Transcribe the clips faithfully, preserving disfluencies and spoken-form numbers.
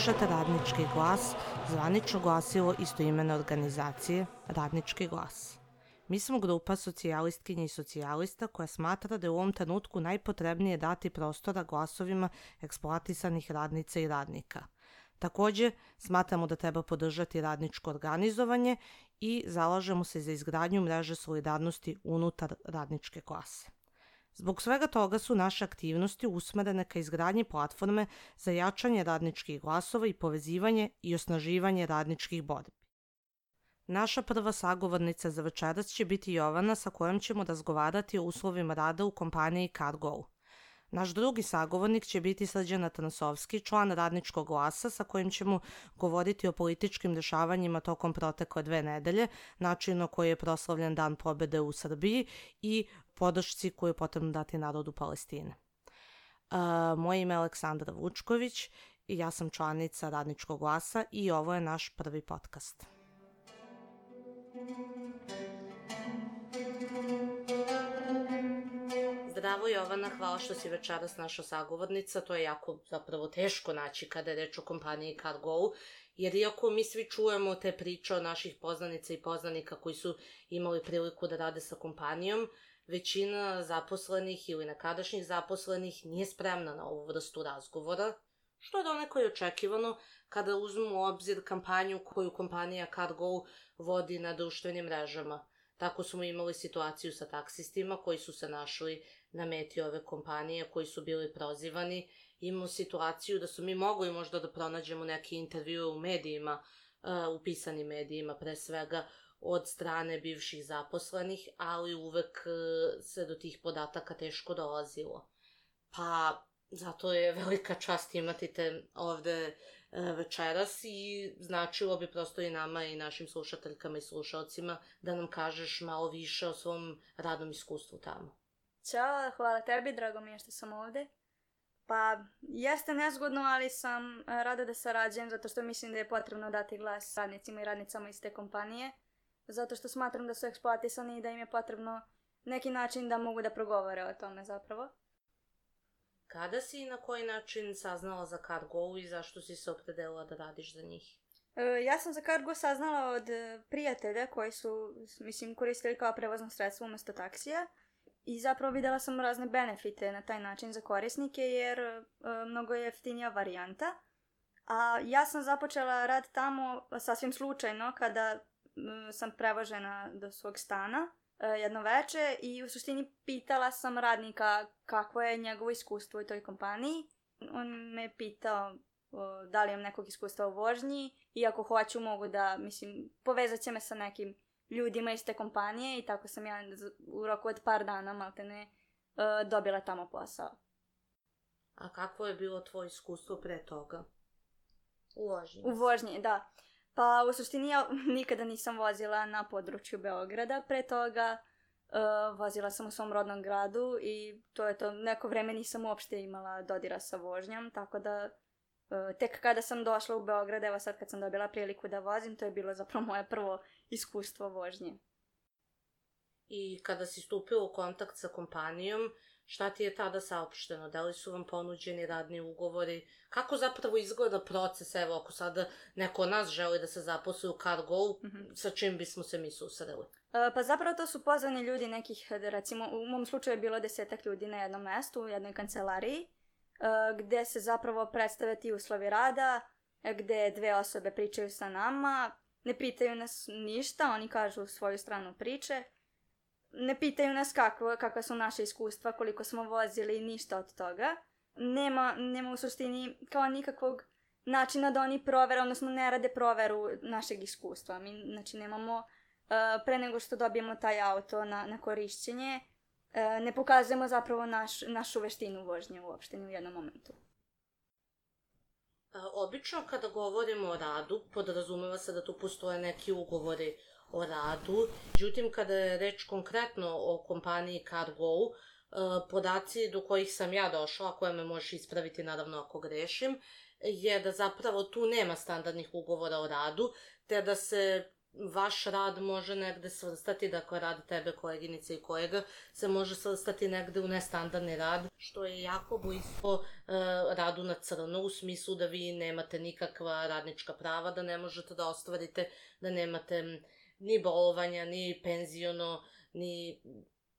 Slušate Radnički glas, zvanično glasilo istoimene organizacije Radnički glas. Mi smo grupa socijalistkinja i socijalista koja smatra da je u ovom trenutku najpotrebnije dati prostora glasovima eksploatisanih radnica i radnika. Takođe, smatramo da treba podržati radničko organizovanje i zalažemo se za izgradnju mreže solidarnosti unutar radničke klase. Zbog svega toga su naše aktivnosti usmerene ka izgradnji platforme za jačanje radničkih glasova i povezivanje i osnaživanje radničkih borbi. Naša prva sagovornica za večeras će biti Jovana, sa kojom ćemo razgovarati o uslovima rada u kompaniji CarGo. Naš drugi sagovornik će biti Srđan Atanasovski, član Radničkog glasa, sa kojim ćemo govoriti o političkim dešavanjima tokom protekle dve nedelje, načinu na koji je proslavljen Dan pobede u Srbiji i podršci koju je potrebno dati narodu Palestine. Uh, moje ime je Aleksandra Vučković i ja sam članica Radničkog glasa i ovo je naš prvi podcast. Zdravo Jovana, hvala što si večeras naša sagovornica, to je jako zapravo teško naći kada je reč o kompaniji CarGo, jer iako mi svi čujemo te priče od naših poznanica i poznanika koji su imali priliku da rade sa kompanijom, većina zaposlenih ili nekadašnjih zaposlenih nije spremna na ovu vrstu razgovora, što je donekle i očekivano kada uzmemo u obzir kampanju koju kompanija CarGo vodi na društvenim mrežama. Tako smo imali situaciju sa taksistima koji su se našli na meti ove kompanije, koji su bili prozivani. Imamo situaciju da su mi mogli možda da pronađemo neki intervju u medijima, u pisanim medijima pre svega, od strane bivših zaposlenih, ali uvek se do tih podataka teško dolazilo. Pa zato je velika čast imati te ovde večeras i značilo bi prosto i nama i našim slušateljkama i slušalcima da nam kažeš malo više o svom radnom iskustvu tamo. Ćao, hvala tebi, drago mi je što sam ovde. Pa, jeste nezgodno, ali sam rada da sarađujem zato što mislim da je potrebno dati glas radnicima i radnicama iz te kompanije, zato što smatram da su eksploatisani i da im je potrebno neki način da mogu da progovore o tome zapravo. Kada si i na koji način saznala za CarGo i zašto si se opredelila da radiš za njih? E, ja sam za CarGo saznala od prijatelja koji su, mislim, koristili kao prevozno sredstvo umesto taksija i zapravo videla sam razne benefite na taj način za korisnike jer e, mnogo je jeftinija varijanta. A ja sam započela rad tamo sasvim slučajno kada e, sam prevožena do svog stana jedno veče i u suštini pitala sam radnika kakvo je njegovo iskustvo u toj kompaniji. On me pitao o, da li imam nekog iskustva u vožnji i ako hoću mogu da, mislim, povezat će me sa nekim ljudima iz te kompanije i tako sam ja u roku od par dana maltene dobila tamo posao. A kakvo je bilo tvoje iskustvo pre toga? U vožnji? U vožnji, da. Pa u suštini ja nikada nisam vozila na području Beograda, pre toga uh, vozila sam u svom rodnom gradu i to je to, neko vreme nisam uopšte imala dodira sa vožnjom, tako da uh, tek kada sam došla u Beograd, evo sad kad sam dobila priliku da vozim, to je bilo zapravo moje prvo iskustvo vožnje. I kada si stupila u kontakt sa kompanijom, šta ti je tada saopšteno? Da li su vam ponuđeni radni ugovori? Kako zapravo izgleda proces? Evo, ako sada neko od nas želi da se zaposli u CarGo, mm-hmm. sa čim bismo se mi susreli? E, pa zapravo to su pozvani ljudi nekih, recimo, u mom slučaju je bilo desetak ljudi na jednom mestu, u jednoj kancelariji, e, gde se zapravo predstave ti uslovi rada, gde dve osobe pričaju sa nama, ne pitaju nas ništa, oni kažu svoju stranu priče. Ne pitaju nas kako, kakva su naše iskustva, koliko smo vozili, ništa od toga. Nema, nema u suštini kao nikakvog načina da oni provere, odnosno ne rade proveru našeg iskustva. Mi, znači, nemamo, uh, pre nego što dobijemo taj auto na, na korišćenje, uh, ne pokazujemo zapravo naš, našu veštinu vožnje uopšte ni u jednom momentu. Obično kada govorimo o radu, podrazumeva se da tu postoje neki ugovori o radu. Međutim, kada je reč konkretno o kompaniji CarGo, podaci do kojih sam ja došla, koje me možeš ispraviti naravno ako grešim, je da zapravo tu nema standardnih ugovora o radu, te da se vaš rad može negde svrstati, dakle rad tebe, koleginice i kolega, se može svrstati negde u nestandardni rad, što je jako blisko e, radu na crno, u smislu da vi nemate nikakva radnička prava, da ne možete da ostvarite, da nemate ni bolovanja, ni penziono, ni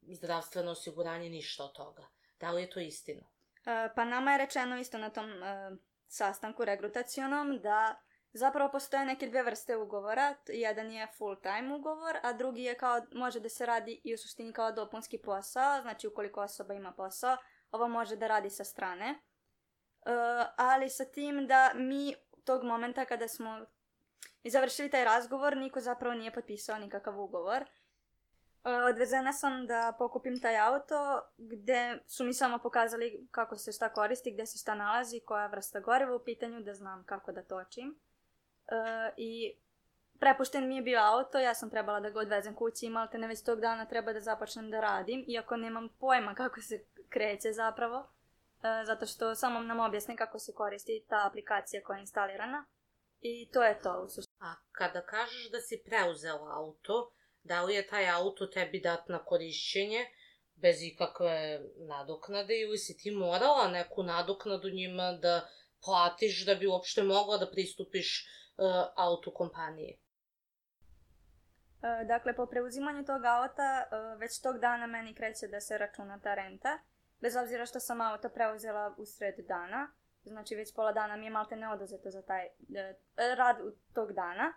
zdravstveno osiguranje, ništa od toga. Da li je to istina? E, pa nama je rečeno isto na tom e, sastanku regrutacionom da zapravo postoje neke dve vrste ugovora. Jedan je full time ugovor, a drugi je kao, može da se radi i u suštini kao dopunski posao, znači ukoliko osoba ima posao, ovo može da radi sa strane. E, ali sa tim da mi tog momenta kada smo završili taj razgovor, niko zapravo nije potpisao nikakav ugovor. Odvezena sam da pokupim taj auto gde su mi samo pokazali kako se šta koristi, gde se šta nalazi, koja vrsta goriva u pitanju, da znam kako da točim. E, I prepušten mi je bio auto, ja sam trebala da ga odvezem kući i maltene već tog dana treba da započnem da radim, iako nemam pojma kako se kreće zapravo, e, zato što samo nam objasne kako se koristi ta aplikacija koja je instalirana. I to je to u suštini. A kada kažeš da si preuzela auto, da li je taj auto tebi dat na korišćenje bez ikakve nadoknade ili si ti morala neku nadoknadu njima da platiš da bi uopšte mogla da pristupiš uh, autu kompanije? E, dakle, po preuzimanju tog auta e, već tog dana meni kreće da se računa ta renta, bez obzira što sam auto preuzela u sred dana, znači već pola dana mi je malte ne oduzeto za taj e, rad tog dana.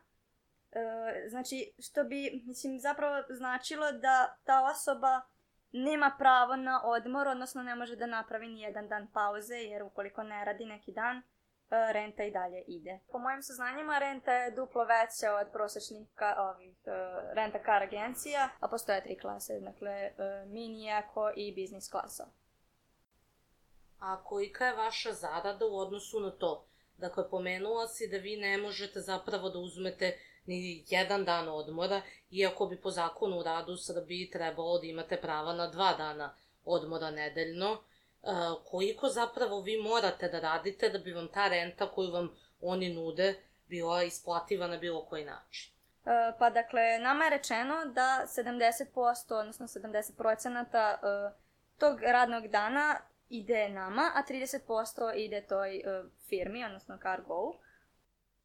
E, znači, što bi, mislim, zapravo značilo da ta osoba nema pravo na odmor, odnosno ne može da napravi ni jedan dan pauze, jer ukoliko ne radi neki dan, e, renta i dalje ide. Po mojim saznanjima, renta je duplo veća od prosječnih ka, ovih, e, renta car agencija, a postoje tri klase, dakle e, mini, eko i business klasa. A kolika je vaša zarada u odnosu na to? Dakle, pomenula si da vi ne možete zapravo da uzmete ni jedan dan odmora, iako bi po zakonu u radu u Srbiji trebalo da imate prava na dva dana odmora nedeljno. E, koliko zapravo vi morate da radite da bi vam ta renta koju vam oni nude bila isplativa na bilo koji način? E, pa dakle, nama je rečeno da sedamdeset posto, odnosno sedamdeset procenata e, tog radnog dana ide nama, a trideset posto ide toj e, firmi, odnosno Cargo.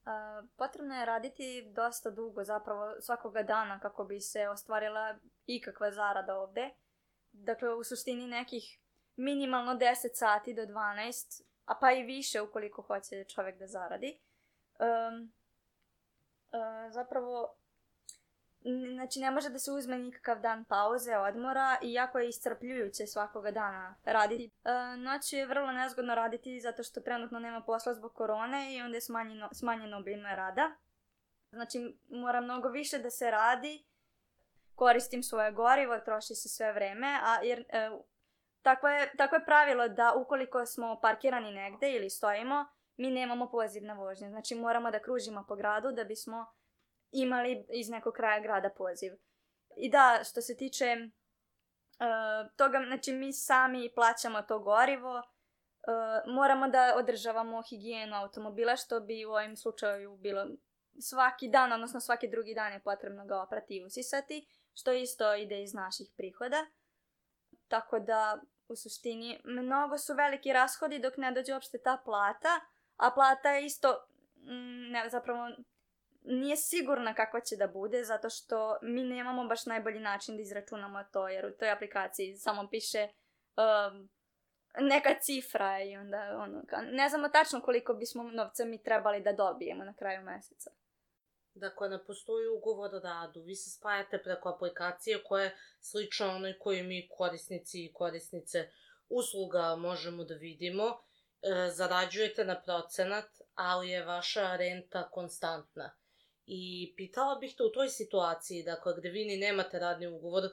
Uh, potrebno je raditi dosta dugo, zapravo svakoga dana kako bi se ostvarila ikakva zarada ovde. Dakle, u suštini nekih minimalno deset sati do dvanaest, a pa i više ukoliko hoće čovjek da zaradi. Um, uh, zapravo, znači ne može da se uzme nikakav dan pauze, odmora, iako je iscrpljujuće svakoga dana raditi. E, noću je vrlo nezgodno raditi zato što trenutno nema posla zbog korone i onda je smanjeno, smanjeno obim rada. Znači mora mnogo više da se radi, koristim svoje gorivo, troši se sve vreme, a jer e, tako, je, tako je pravilo da ukoliko smo parkirani negde ili stojimo, mi nemamo poziv na vožnju. Znači moramo da kružimo po gradu da bismo imali iz nekog kraja grada poziv. I da, što se tiče uh, toga, znači mi sami plaćamo to gorivo, uh, moramo da održavamo higijenu automobila, što bi u ovom slučaju bilo svaki dan, odnosno svaki drugi dan je potrebno ga oprati i usisati, što isto ide iz naših prihoda. Tako da, u suštini, mnogo su veliki rashodi dok ne dođe uopšte ta plata, a plata je isto, mm, ne, zapravo, nije sigurna kakva će da bude, zato što mi nemamo baš najbolji način da izračunamo to, jer u toj aplikaciji samo piše um, neka cifra i onda ono, ne znamo tačno koliko bismo novca mi trebali da dobijemo na kraju meseca. Dakle, ne postoji ugovor o radu, vi se spajate preko aplikacije koja je slična onoj koju mi korisnici i korisnice usluga možemo da vidimo, e, zarađujete na procenat, ali je vaša renta konstantna. I pitala bih te u toj situaciji, dakle, gde vi ni nemate radni ugovor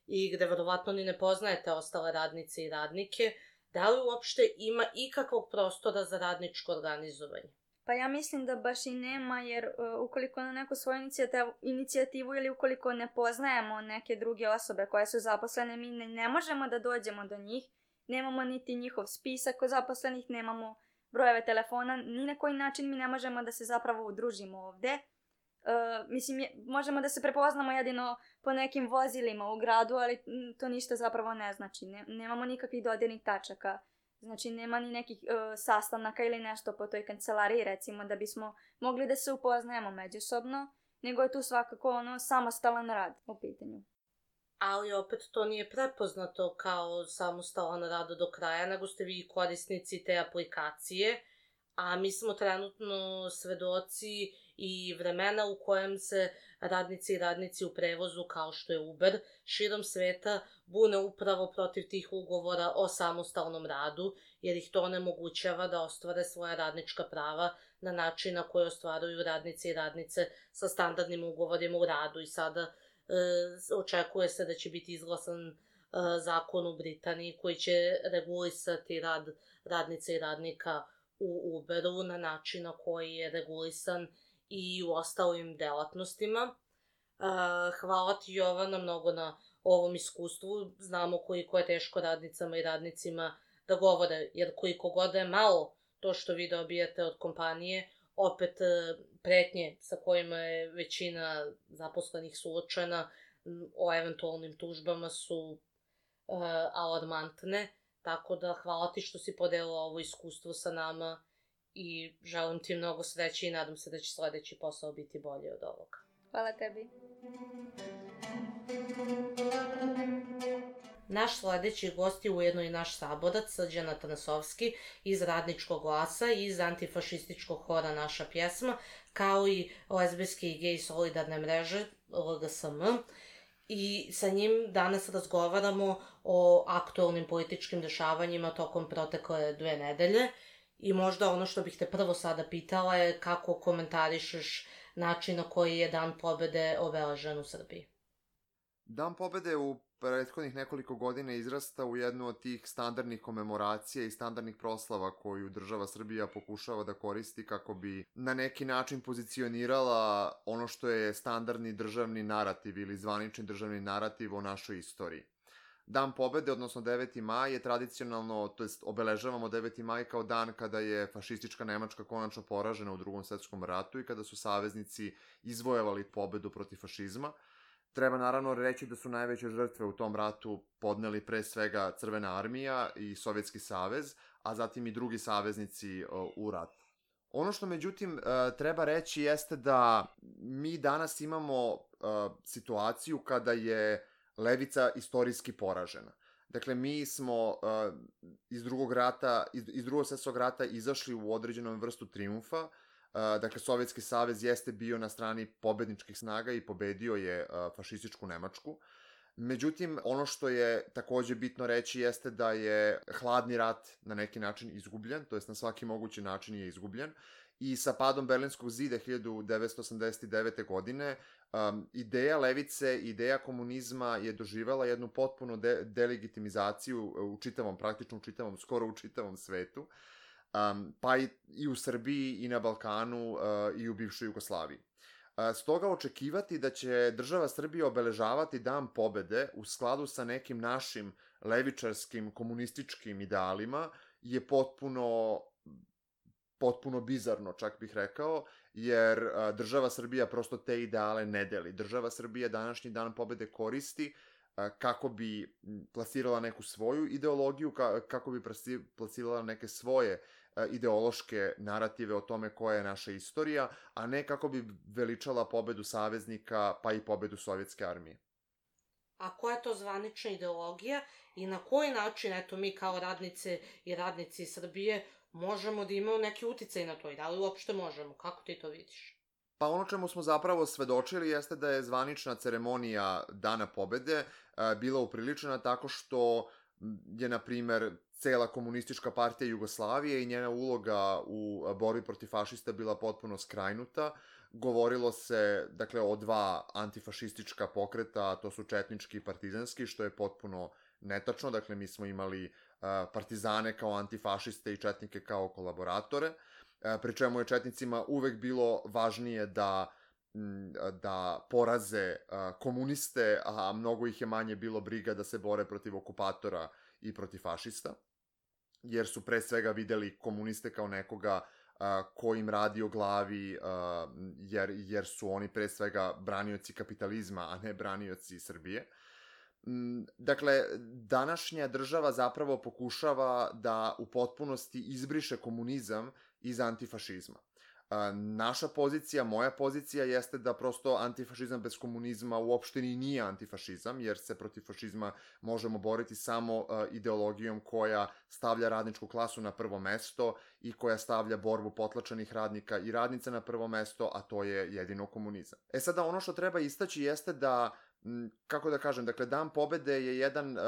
i gde verovatno ni ne poznajete ostale radnice i radnike, da li uopšte ima ikakvog prostora za radničko organizovanje? Pa ja mislim da baš i nema, jer uh, ukoliko na neku svoju inicijativu, inicijativu ili ukoliko ne poznajemo neke druge osobe koje su zaposlene, mi ne, ne možemo da dođemo do njih, nemamo niti njihov spisak zaposlenih, nemamo brojeve telefona, ni na koji način mi ne možemo da se zapravo udružimo ovde. Uh, Uh, mislim, je, možemo da se prepoznamo jedino po nekim vozilima u gradu, ali m, to ništa zapravo ne znači. Ne, nemamo nikakvih dodirnih tačaka. Znači, nema ni nekih uh, sastanaka ili nešto po toj kancelariji, recimo, da bismo mogli da se upoznajemo međusobno, nego je tu svakako ono samostalan rad u pitanju. Ali opet to nije prepoznato kao samostalan rad do kraja, nego ste vi korisnici te aplikacije, a mi smo trenutno svedoci i vremena u kojem se radnici i radnici u prevozu, kao što je Uber, širom sveta bune upravo protiv tih ugovora o samostalnom radu, jer ih to onemogućava da ostvare svoja radnička prava na način na koji ostvaruju radnici i radnice sa standardnim ugovorima u radu. I sada e, očekuje se da će biti izglasan e, zakon u Britaniji koji će regulisati rad radnica i radnika u Uberu na način na koji je regulisan i u ostalim delatnostima. Hvala ti, Jovana, mnogo na ovom iskustvu. Znamo koliko je teško radnicama i radnicima da govore, jer koliko god je malo to što vi dobijete od kompanije, opet pretnje sa kojima je većina zaposlenih suočena o eventualnim tužbama su alarmantne. Tako da hvala ti što si podelila ovo iskustvo sa nama i želim ti mnogo sreće i nadam se da će sledeći posao biti bolji od ovoga. Hvala tebi. Naš sledeći gost je ujedno i naš saborac, Srđan Atanasovski iz Radničkog glasa i iz antifašističkog hora Naša pjesma, kao i lezbijske i gej solidarne mreže L G S M. I sa njim danas razgovaramo o aktualnim političkim dešavanjima tokom protekle dve nedelje. I možda ono što bih te prvo sada pitala je kako komentarišeš način na koji je Dan pobede obeležen u Srbiji. Dan pobede u prethodnih nekoliko godina izrasta u jednu od tih standardnih komemoracija i standardnih proslava koju država Srbija pokušava da koristi kako bi na neki način pozicionirala ono što je standardni državni narativ ili zvanični državni narativ o našoj istoriji. Dan pobede, odnosno deveti maj, je tradicionalno, to jest obeležavamo deveti maj kao dan kada je fašistička Nemačka konačno poražena u Drugom svetskom ratu i kada su saveznici izvojevali pobedu protiv fašizma. Treba naravno reći da su najveće žrtve u tom ratu podneli pre svega Crvena armija i Sovjetski savez, a zatim i drugi saveznici u ratu. Ono što međutim treba reći jeste da mi danas imamo situaciju kada je levica istorijski poražena. Dakle, mi smo uh, iz drugog rata, iz, iz drugog svjetskog rata izašli u određenom vrstu triumfa. Uh, dakle, Sovjetski savez jeste bio na strani pobedničkih snaga i pobedio je uh, fašističku Nemačku. Međutim, ono što je takođe bitno reći jeste da je hladni rat na neki način izgubljen, to jest na svaki mogući način je izgubljen. I sa padom Berlinskog zida hiljadu devetsto osamdeset devete. godine um, ideja levice, ideja komunizma je doživela jednu potpuno de delegitimizaciju u čitavom, praktično u čitavom, skoro u čitavom svetu, um, pa i, i u Srbiji i na Balkanu uh, i u bivšoj Jugoslaviji. Uh, stoga očekivati da će država Srbija obeležavati Dan pobede u skladu sa nekim našim levičarskim komunističkim idealima je potpuno potpuno bizarno, čak bih rekao, jer a, država Srbija prosto te ideale ne deli. Država Srbija današnji Dan pobede koristi a, kako bi plasirala neku svoju ideologiju, ka, kako bi plasirala neke svoje a, ideološke narative o tome koja je naša istorija, a ne kako bi veličala pobedu saveznika, pa i pobedu Sovjetske armije. A koja je to zvanična ideologija i na koji način, eto, mi kao radnice i radnici Srbije možemo da imamo neki uticaj na to i da li uopšte možemo? Kako ti to vidiš? Pa ono čemu smo zapravo svedočili jeste da je zvanična ceremonija Dana pobede bila upriličena tako što je, na primer, cela komunistička partija Jugoslavije i njena uloga u borbi protiv fašista bila potpuno skrajnuta. Govorilo se, dakle, o dva antifašistička pokreta, to su četnički i partizanski, što je potpuno netačno. Dakle, mi smo imali partizane kao antifašiste i četnike kao kolaboratore, pri čemu je četnicima uvek bilo važnije da, da poraze komuniste, a mnogo ih je manje bilo briga da se bore protiv okupatora i protiv fašista, jer su pre svega videli komuniste kao nekoga ko im radi o glavi, jer, jer su oni pre svega branioci kapitalizma, a ne branioci Srbije. Dakle, današnja država zapravo pokušava da u potpunosti izbriše komunizam iz antifašizma. Naša pozicija, moja pozicija jeste da prosto antifašizam bez komunizma uopšte ni nije antifašizam, jer se protiv fašizma možemo boriti samo ideologijom koja stavlja radničku klasu na prvo mesto i koja stavlja borbu potlačenih radnika i radnica na prvo mesto, a to je jedino komunizam. E sada, ono što treba istaći jeste da, kako da kažem, dakle, Dan pobede je jedan uh,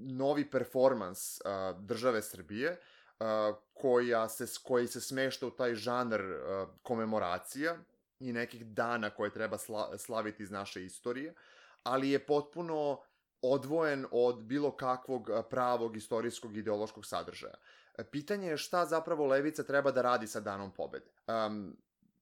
novi performans uh, države Srbije, Uh, koja se, koji se smešta u taj žanr uh, komemoracija i nekih dana koje treba sla, slaviti iz naše istorije, ali je potpuno odvojen od bilo kakvog pravog istorijskog ideološkog sadržaja. Pitanje je šta zapravo levica treba da radi sa Danom pobede. Um,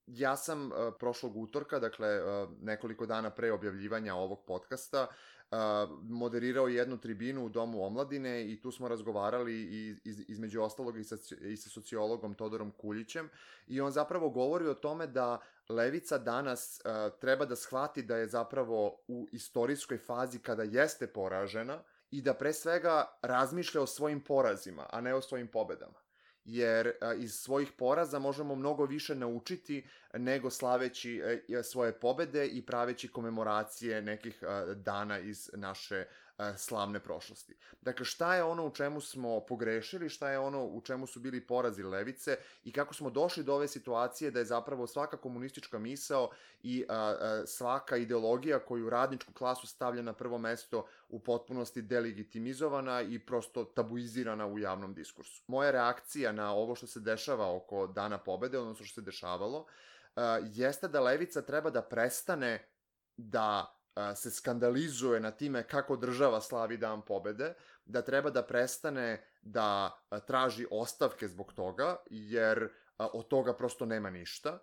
ja sam uh, prošlog utorka, dakle uh, nekoliko dana pre objavljivanja ovog podcasta, Uh, moderirao jednu tribinu u Domu omladine i tu smo razgovarali i, iz, između ostalog i sa, i sa sociologom Todorom Kuljićem i on zapravo govori o tome da levica danas uh, treba da shvati da je zapravo u istorijskoj fazi kada jeste poražena i da pre svega razmišlja o svojim porazima, a ne o svojim pobedama. Jer a, iz svojih poraza možemo mnogo više naučiti nego slaveći a, svoje pobede i praveći komemoracije nekih a, dana iz naše a, slavne prošlosti. Dakle, šta je ono u čemu smo pogrešili, šta je ono u čemu su bili porazi levice i kako smo došli do ove situacije da je zapravo svaka komunistička misao i a, a, svaka ideologija koju radničku klasu stavlja na prvo mesto u potpunosti delegitimizovana i prosto tabuizirana u javnom diskursu. Moja reakcija na ovo što se dešava oko Dana pobede, odnosno što se dešavalo, uh, jeste da levica treba da prestane da uh, se skandalizuje na time kako država slavi Dan pobede, da treba da prestane da uh, traži ostavke zbog toga, jer uh, od toga prosto nema ništa.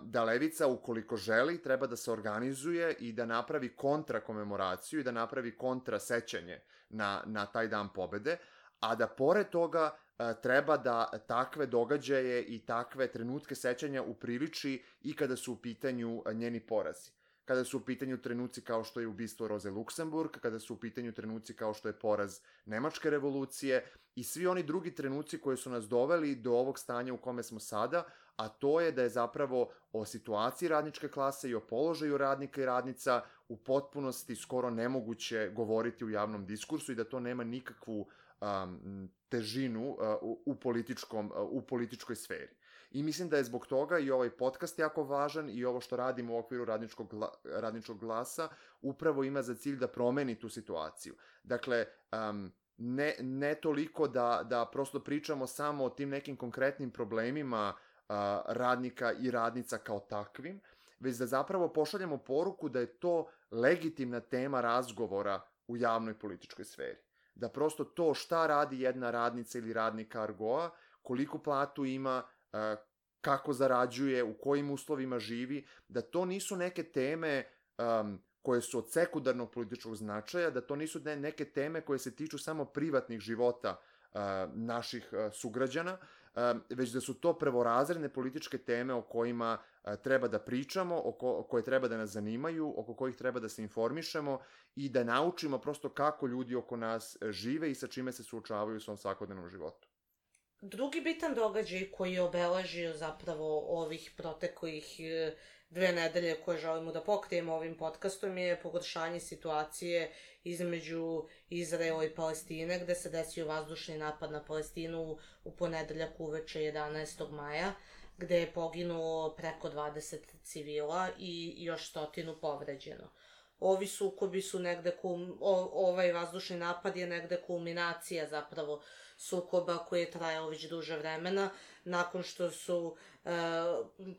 Da levica, ukoliko želi, treba da se organizuje i da napravi kontra komemoraciju i da napravi kontra sećanje na, na taj Dan pobede, a da pored toga treba da takve događaje i takve trenutke sećanja upriliči i kada su u pitanju njeni porazi. Kada su u pitanju trenuci kao što je ubistvo Roze Luksemburg, kada su u pitanju trenuci kao što je poraz Nemačke revolucije i svi oni drugi trenuci koji su nas doveli do ovog stanja u kome smo sada, a to je da je zapravo o situaciji radničke klase i o položaju radnika i radnica u potpunosti skoro nemoguće govoriti u javnom diskursu i da to nema nikakvu um, težinu uh, u, u, političkom, uh, u političkoj sferi. I mislim da je zbog toga i ovaj podcast jako važan i ovo što radimo u okviru radničkog, gla, radničkog glasa upravo ima za cilj da promeni tu situaciju. Dakle, um, ne, ne toliko da, da prosto pričamo samo o tim nekim konkretnim problemima uh, radnika i radnica kao takvim, već da zapravo pošaljemo poruku da je to legitimna tema razgovora u javnoj političkoj sferi. Da prosto to šta radi jedna radnica ili radnik Argoa, koliko platu ima, kako zarađuje, u kojim uslovima živi, da to nisu neke teme um, koje su od sekundarnog političkog značaja, da to nisu ne, neke teme koje se tiču samo privatnih života uh, naših uh, sugrađana, uh, već da su to prvorazredne političke teme o kojima uh, treba da pričamo, oko, koje treba da nas zanimaju, oko kojih treba da se informišemo i da naučimo prosto kako ljudi oko nas žive i sa čime se suočavaju u svom svakodnevnom životu. Drugi bitan događaj koji je obeležio zapravo ovih proteklih dve nedelje koje želimo da pokrijemo ovim podcastom je pogoršanje situacije između Izraela i Palestine, gde se desio vazdušni napad na Palestinu u ponedeljak uveče jedanaestog maja, gde je poginulo preko dvadeset civila i još stotinu povređeno. Ovi sukobi su negde, kum, o, ovaj vazdušni napad je negde kulminacija zapravo sukoba koji je trajao već duže vremena, nakon što su e,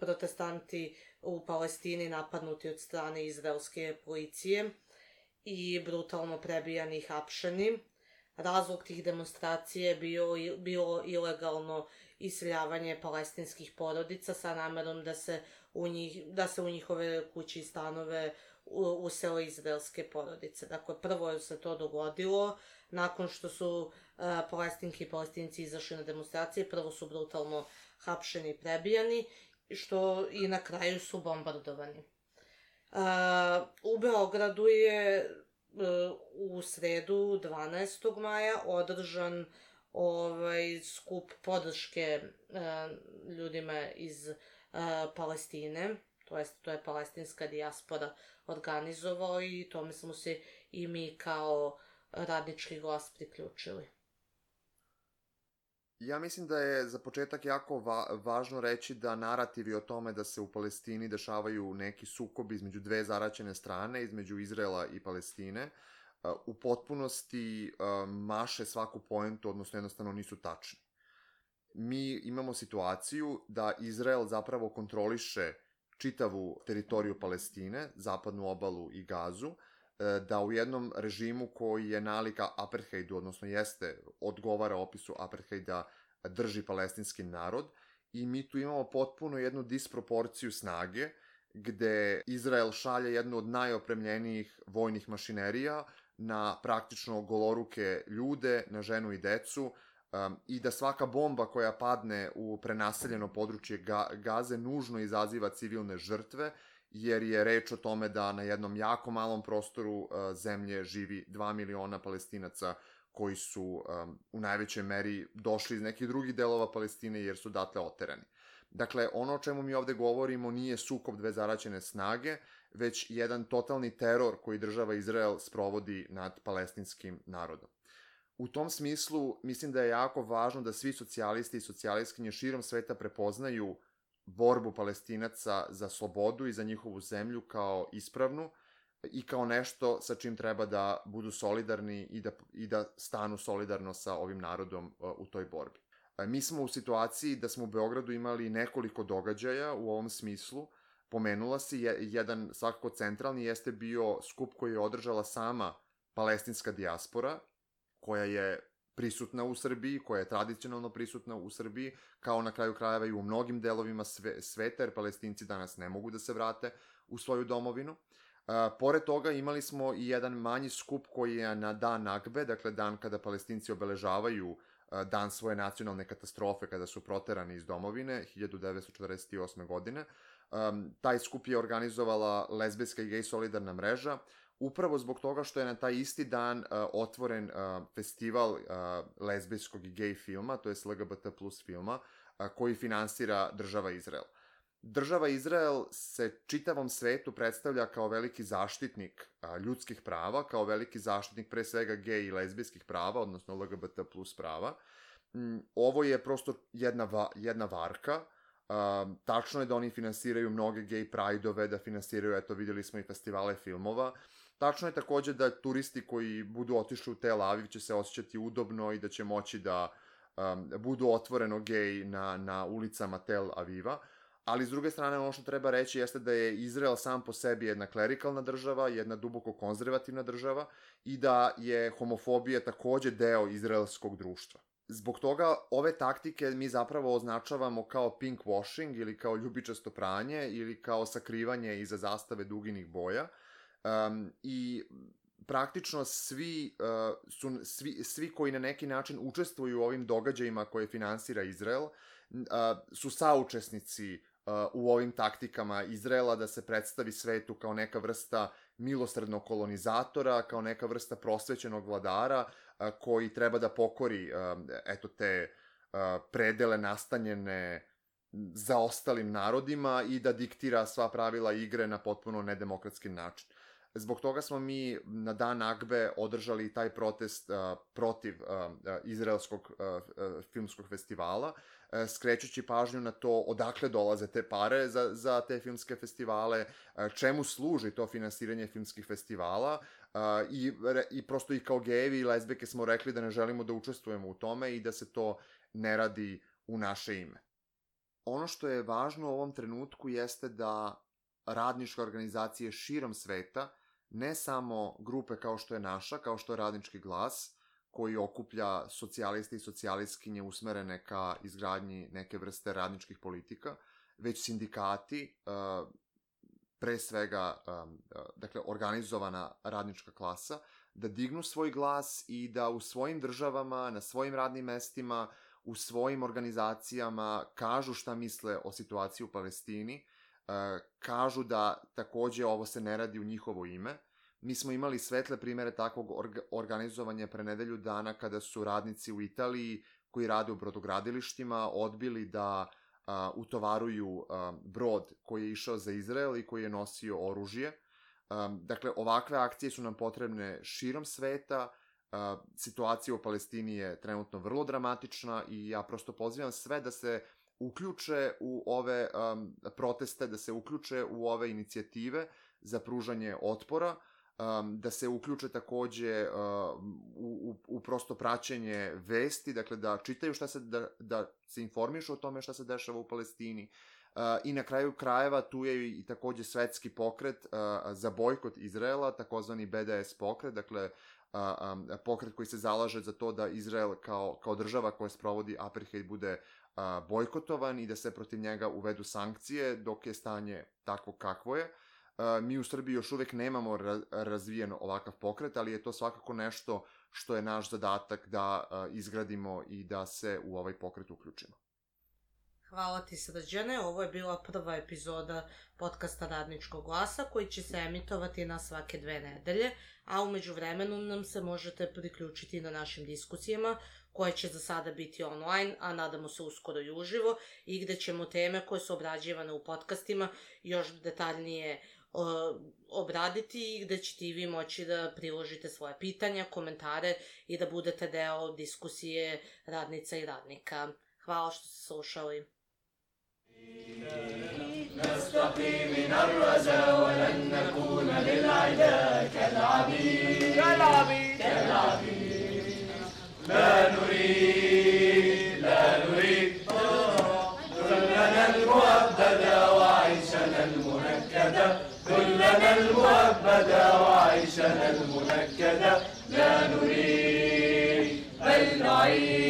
protestanti u Palestini napadnuti od strane izraelske policije i brutalno prebijani i hapšeni. Razlog tih demonstracija je bio, bilo ilegalno iseljavanje palestinskih porodica sa namerom da se u, njih, da se u njihove kuće i stanove usele izraelske porodice. Dakle, prvo se to dogodilo nakon što su uh, palestinki i palestinci izašli na demonstracije, prvo su brutalno hapšeni i prebijani, što i na kraju su bombardovani. Uh, u Beogradu je uh, u sredu dvanaestog maja održan ovaj skup podrške uh, ljudima iz uh, Palestine, to jest to je palestinska dijaspora organizovao i tome smo se i mi kao Radnički glas priključili. Ja mislim da je za početak jako va- važno reći da narativi o tome da se u Palestini dešavaju neki sukobi između dve zaraćene strane, između Izraela i Palestine, u potpunosti maše svaku poentu, odnosno jednostavno nisu tačni. Mi imamo situaciju da Izrael zapravo kontroliše čitavu teritoriju Palestine, zapadnu obalu i Gazu, da u jednom režimu koji je nalika apartheidu, odnosno jeste, odgovara opisu apartheida, drži palestinski narod i mi tu imamo potpuno jednu disproporciju snage gde Izrael šalje jednu od najopremljenijih vojnih mašinerija na praktično goloruke ljude, na ženu i decu, um, i da svaka bomba koja padne u prenaseljeno područje Ga- Gaze nužno izaziva civilne žrtve, jer je reč o tome da na jednom jako malom prostoru uh, zemlje živi dva miliona Palestinaca koji su um, u najvećoj meri došli iz nekih drugih delova Palestine jer su datle oterani. Dakle, ono o čemu mi ovde govorimo nije sukob dve zaraćene snage, već jedan totalni teror koji država Izrael sprovodi nad palestinskim narodom. U tom smislu, mislim da je jako važno da svi socijalisti i socijalistkinje širom sveta prepoznaju borbu Palestinaca za slobodu i za njihovu zemlju kao ispravnu i kao nešto sa čim treba da budu solidarni i da, i da stanu solidarno sa ovim narodom u toj borbi. Mi smo u situaciji da smo u Beogradu imali nekoliko događaja u ovom smislu. Pomenula si, jedan svakako centralni jeste bio skup koji je održala sama palestinska dijaspora, koja je prisutna u Srbiji, koja je tradicionalno prisutna u Srbiji, kao na kraju krajeva i u mnogim delovima sve, sveta, jer Palestinci danas ne mogu da se vrate u svoju domovinu. Uh, pored toga imali smo i jedan manji skup koji je na dan Nakbe, dakle dan kada Palestinci obeležavaju uh, dan svoje nacionalne katastrofe kada su proterani iz domovine, hiljadu devetsto četrdeset osme. godine. Um, taj skup je organizovala lezbijska i gej solidarna mreža, upravo zbog toga što je na taj isti dan uh, otvoren uh, festival uh, lezbijskog i gej filma, to je L G B T plus filma, uh, koji finansira država Izrael. Država Izrael se čitavom svetu predstavlja kao veliki zaštitnik a, ljudskih prava, kao veliki zaštitnik pre svega gej i lezbijskih prava, odnosno L G B T plus prava. Mm, ovo je prosto jedna, va, jedna varka. A, tačno je da oni finansiraju mnoge gej prajdove, da finansiraju, eto vidjeli smo i festivale filmova. Tačno je takođe da turisti koji budu otišli u Tel Aviv će se osjećati udobno i da će moći da um, budu otvoreno gej na, na ulicama Tel Aviva. Ali s druge strane ono što treba reći jeste da je Izrael sam po sebi jedna klerikalna država, jedna duboko konzervativna država i da je homofobija takođe deo izraelskog društva. Zbog toga ove taktike mi zapravo označavamo kao pink washing ili kao ljubičasto pranje ili kao sakrivanje iza zastave duginih boja. Um, I praktično svi, uh, su, svi, svi koji na neki način učestvuju u ovim događajima koje finansira Izrael uh, su saučesnici u ovim taktikama Izraela da se predstavi svetu kao neka vrsta milosrdnog kolonizatora, kao neka vrsta prosvećenog vladara koji treba da pokori eto te predele nastanjene zaostalim narodima i da diktira sva pravila igre na potpuno nedemokratski način. Zbog toga smo mi na dan Nakbe održali taj protest uh, protiv uh, izraelskog uh, filmskog festivala, uh, skrećući pažnju na to odakle dolaze te pare za, za te filmske festivale, uh, čemu služi to finansiranje filmskih festivala uh, i, i prosto i kao gejevi i lezbijke smo rekli da ne želimo da učestvujemo u tome i da se to ne radi u naše ime. Ono što je važno u ovom trenutku jeste da radničke organizacije širom sveta, ne samo grupe kao što je naša, kao što je Radnički glas, koji okuplja socijaliste i socijalistkinje usmerene ka izgradnji neke vrste radničkih politika, već sindikati, pre svega, dakle, organizovana radnička klasa, da dignu svoj glas i da u svojim državama, na svojim radnim mestima, u svojim organizacijama kažu šta misle o situaciji u Palestini, kažu da takođe ovo se ne radi u njihovo ime. Mi smo imali svetle primere takvog orga, organizovanja pre nedelju dana kada su radnici u Italiji koji rade u brodogradilištima odbili da a, utovaruju a, brod koji je išao za Izrael i koji je nosio oružje. A, dakle, ovakve akcije su nam potrebne širom sveta. A, situacija u Palestini je trenutno vrlo dramatična i ja prosto pozivam sve da se uključe u ove um, proteste, da se uključe u ove inicijative za pružanje otpora, um, da se uključe takođe uh, u, u, u prosto praćenje vesti, dakle da čitaju šta se, da, da se informišu o tome šta se dešava u Palestini. Uh, I na kraju krajeva tu je i takođe svetski pokret uh, za bojkot Izraela, takozvani B D S pokret, dakle uh, um, pokret koji se zalaže za to da Izrael kao, kao država koja sprovodi apartheid bude bojkotovan i da se protiv njega uvedu sankcije dok je stanje takvo kakvo je. Mi u Srbiji još uvek nemamo razvijen ovakav pokret, ali je to svakako nešto što je naš zadatak da izgradimo i da se u ovaj pokret uključimo. Hvala ti, Srđane. Ovo je bila prva epizoda podcasta Radničkog glasa koji će se emitovati na svake dve nedelje, a umeđu vremenu nam se možete priključiti na našim diskusijama koje će za sada biti online, a nadamo se uskoro i uživo, i gde ćemo teme koje su obrađivane u podcastima još detaljnije uh, obraditi i gde ćete i vi moći da priložite svoje pitanja, komentare i da budete deo diskusije radnica i radnika. Hvala što ste slušali. نستقي من الرجا ولن نكون للعداء كالعبيد كالعبيد كالعبيد لا نريد لا نريد كلنا المؤبدة وعيشنا المنكدة كلنا المؤبدة وعيشنا المنكدة لا نريد بل نعيد